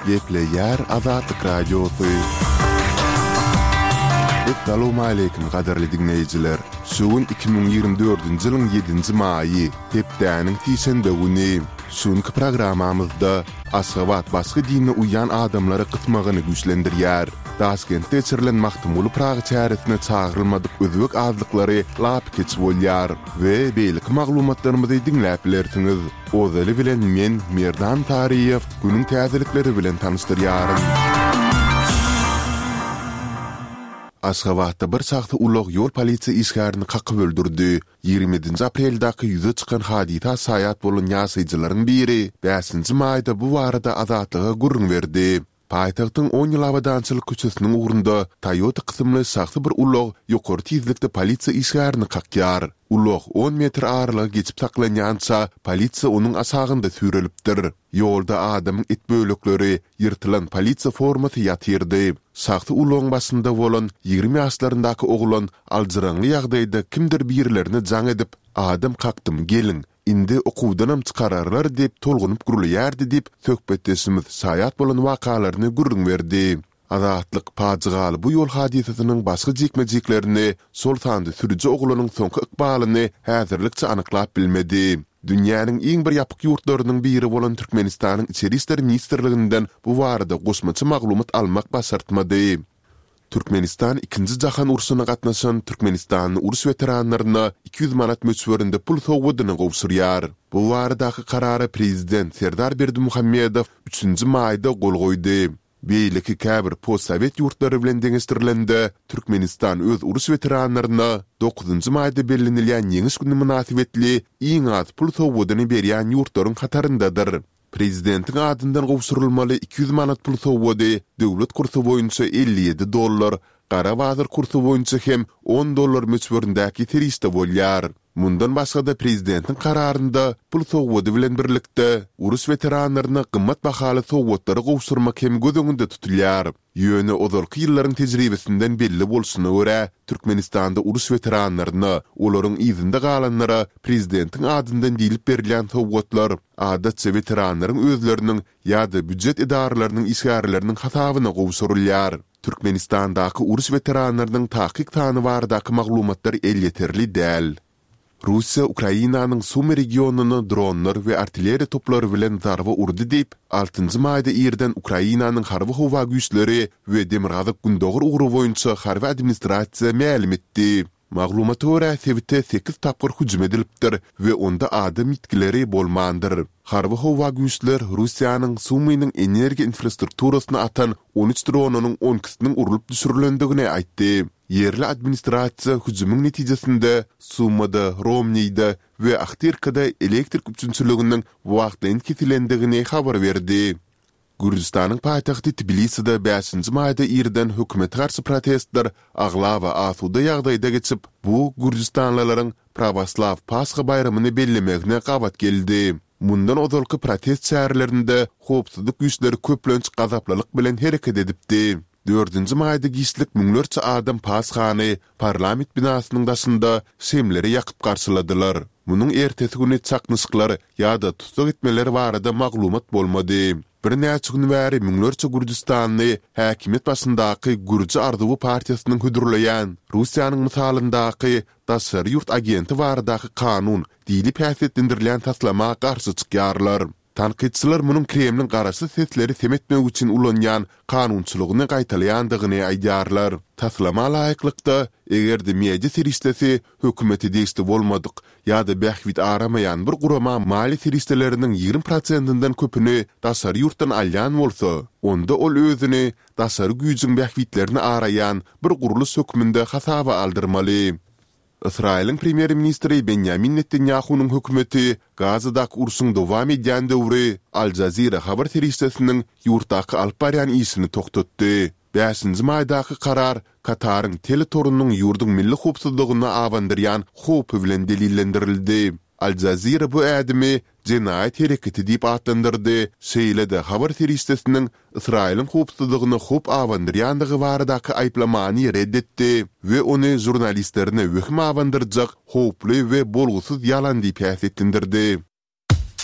Gepleýär Azatlyk Radiosy. Essalawmaleýkim gadyrly diňleýjiler! Şu gün 2024-nji ýylyň ýedinji maýy, hepdäniň sişenbe güni. Şu günki programmamyzda Aşgabat başga dine uýýan adamlary gysmagyny güýçlendirýär. Daşkentde geçirilen Magtymguly Pyragy çäresine çagyrylmadyk özbek azlyklary lapykeç bolýar we beýleki maglumatlarymyzy diňläp bilersiňiz. Ozaly bilen men, Merdan Taryýew, günüň täzelikleri bilen tanyşdyrýaryn. Aşgabatda bir şahsy ulag ýol polisiýa işgärini kakyp öldürdi. 27-nji apreldaky ýüze çykan hadysa şaýat bolan ýaşaýjylaryň biri bäşinji maýda bu barada Azatlyga gürrüň berdi. Paýtagtyň On ýyl abadançylyk köçesiniň ugrunda Toyota kysymly şahsy bir ulag ýokary tizlikde polisiýa işgärini kakýar. Ulag on metr aralygy geçip saklanýança, polisiýa onuň aşagynda süýrelipdir. Ýolda adamyň et bölekleri, ýyrtylan polisiýa formasy ýatyrdy. Şahsy ulagyň başynda bolan 20 ýaşlaryndaky oglan aljyraňly ýagdaýda kimdir birilerine jaň edip, Adam kakdym, geliň, Indi okuwdanam çykararlar diýip tolgunyp gürleýärdi diýip, söhbetdeşimiz şaýat bolan wakalaryny gürrüň berdi. Azatlyk pajygaly bu ýol hadysasynyň başga jikme-jiklerini, şol sanda sürüji oglanyň soňky ykbalyny häzirlikçe anyklap bilmedi. Dünýäniň iň bir ýapyk ýurtlarynyň biri bolan Türkmenistanyň Içeri işler ministrliginden bu barada goşmaça maglumat almak başartmady. Türkmenistan Ikinji jahan urşuna gatnaşan türkmenistanly uruş weteranlaryna 200 manat möçberinde pul sowgadyny gowşurýar. Bu baradaky karara prezident Serdar Berdimuhamedow üçünji maýda gol goýdy. Beýleki käbir postsowet ýurtlary bilen deňeşdirilende, Türkmenistan öz uruş weteranlaryna dokuzynjy maýda bellenilýän Ýeňiş güni mynasybetli iň az pul sowgadyny berýän ýurtlaryň hataryndadyr. Prezidentiň adyndan gowşurylmaly 200 manat pul sowgady döwlet kursy boýunça 57 dollar, gara bazar kursy boýunça hem on dollar möçberindäki serişde bolýar. Mundan başga-da prezidentiň kararynda pul sowgady bilen birlikde, uruş weteranlaryna gymmat bahaly sowgatlary gowşurmak hem göz öňünde tutulýar. Ýöne ozalky ýyllaryň tejribesinden belli bolşuna görä, Türkmenistanda uruş weteranlaryna, olaryň yzynda galanlara prezidentiň adyndan diýlip berilýän sowgatlar, adatça, weteranlaryň özleriniň ýa-da býujet edaralarynyň işgärleriniň hasabyna gowşurylýar. Türkmenistandaky uruş weteranlarynyň takyk sany baradaky maglumatlar elýeterli däl. Russiýa Ukrainanyň Sumy regionyna dronlar we artilleriýa toplary bilen zarba urdy diýip, altynjy maýda irden Ukrainanyň Harby-howa güýçleri we Demirgazyk-Gündogar ugry boýunça harby administrasiýa mälim etdi. Maglumata görä, sebite sekiz tapgyr hüjüm edilipdir we onda adam ýitgileri bolmandyr. Harby-howa güýçler Russiýanyň Sumynyň energiýa infrastrukturasyna atan 13 dronynyň on ikisiniň urlup düşürilendigini aýtdy. Ýerli administrasiýa hüjümiň netijesinde Sumada, Romnide we Ahtyrkada elektrik üpjünçiliginiň wagtlaýyn kesilendigini habar berdi. Gürjüstanyň paýtagty Tbiliside bäşinji maýda irden hökümete garşy protestler aglaba asuda ýagdaýda geçip, bu gürjüstanlylaryň prawoslaw Pasha baýramyny bellemegine gabat geldi. Mundan ozalky protest çärelerinde howpsuzlyk güýçleri köplenç gazaplylyk bilen hereket edipdi. Dördünji maýda giçlik müňlerçe adam Pashany parlament binasynyň daşynda şemleri ýakyp garşyladylar. Munuň ertesi güni çaknyşyklar ýa-da tussag etmeler barada maglumat bolmady. Birnäçe gün bäri müňlerçe gürjüstanly häkimiýet başyndaky Gürji arzuwy partiýasynyň hödürleýän Russiýanyň mysalyndaky daşary ýurt agenti baradaky kanun diýlip häsiýetlendirilýän taslama garşy çykýarlar. Tankytçylar munuň Kremliň garaşsyz sesleri sem etmek üçin ulanýan kanunçylygyny gaýtalaýandygyny aýdýarlar. Taslama laýyklykda, eger-de media serişdesi hökümete degişli bolmadyk ýa-da bähbit aramaýan bir gurama maliýe serişdeleriniň 20 prosentinden köpüni daşary ýurtdan alýan bolsa, onda ol özüni daşary güýjüň bähbitlerini araýan bir gurluş hökmünde hasaba aldyrmaly. Ysraýylyň premýer-ministri Benýamin Netanýahunyň hökümeti Gazadaky urşuň dowam edýän döwri Al Jazeera habar serişdesiniň ýurtdaky alyp barýan işini togtatdy. Bäşinji maýdaky karar Kataryň teletorunyň ýurduň milli howpsuzlygyna abandyrýan howpy bilen delillendirildi. Al Jazeera bu ädimi jenaýat hereketi diýip atlandyrdy, şeýle-de habar serişdesiniň Ysraýylyň howpsuzlygyna howp abandyrýandygy baradaky aýyplamany red etdi we ony žurnalistlerine wehim abandyrjak howply we bolgusyz ýalan diýip häsiýetlendirdi.